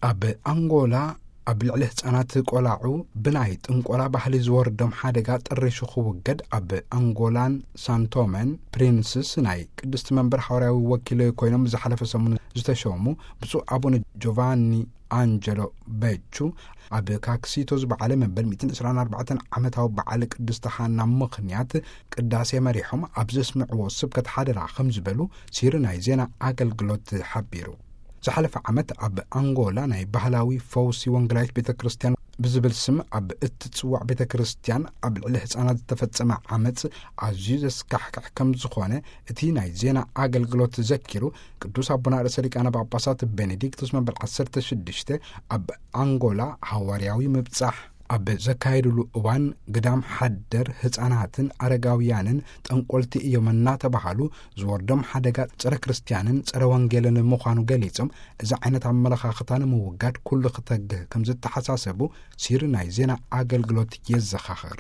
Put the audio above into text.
ኣብ ኣንጎላ ኣብ ልዕሊ ህጻናት ቆላዑ ብናይ ጥንቆላ ባህሊ ዝወርዶም ሓደጋ ጥሪሹ ክውገድ ኣብ ኣንጎላን ሳንቶመን ፕሪንስስ ናይ ቅድስቲ መንበር ሓዋርያዊ ወኪል ኮይኖም ዝሓለፈ ሰሙን ዝተሸሙ ብፁዕ ኣቡነ ጆቫኒ ኣንጀሎ በቹ ኣብ ካክሲቶ ዝበዓለ መበል ሚእትን ዕስራን ኣርባዕተን ዓመታዊ በዓል ቅድስቲ ሃና ምኽንያት ቅዳሴ መሪሖም ኣብ ዘስምዕዎ ስብከት ሓደራ ከም ዝበሉ ሲሪ ናይ ዜና ኣገልግሎት ሓቢሩ። ዝሓለፈ ዓመት ኣብ ኣንጎላ ናይ ባህላዊ ፈውሲ ወንጌላዊት ቤተ ክርስቲያን ብዝብል ስም ኣብ እትጽዋዕ ቤተ ክርስቲያን ኣብ ልዕሊ ህጻናት ዝተፈጸመ ዓመጽ ኣዝዩ ዘስካሕክሕ ከም ዝኾነ እቲ ናይ ዜና ኣገልግሎት ዘኪሩ፣ ቅዱስ ኣቦና ርእሰ ሊቃነ ጳጳሳት ቤኔዲክቶስ መበል ዓሰርተ ሽዱሽተ ኣብ ኣንጎላ ሃዋርያዊ ምብጻሕ ኣብ ዘካየድሉ እዋን ግዳም ሓደር ህጻናትን ኣረጋውያንን ጠንቆልቲ እዮም እናተባሃሉ ዝወርዶም ሓደጋ ጸረ ክርስቲያንን ጸረ ወንጌልን ምዃኑ ገሊጾም፣ እዚ ዓይነት ኣመለኻኽታ ንምውጋድ ኩሉ ክተግህ ከም ዝተሓሳሰቡ ሲሪ ናይ ዜና ኣገልግሎት የዘኻኽር።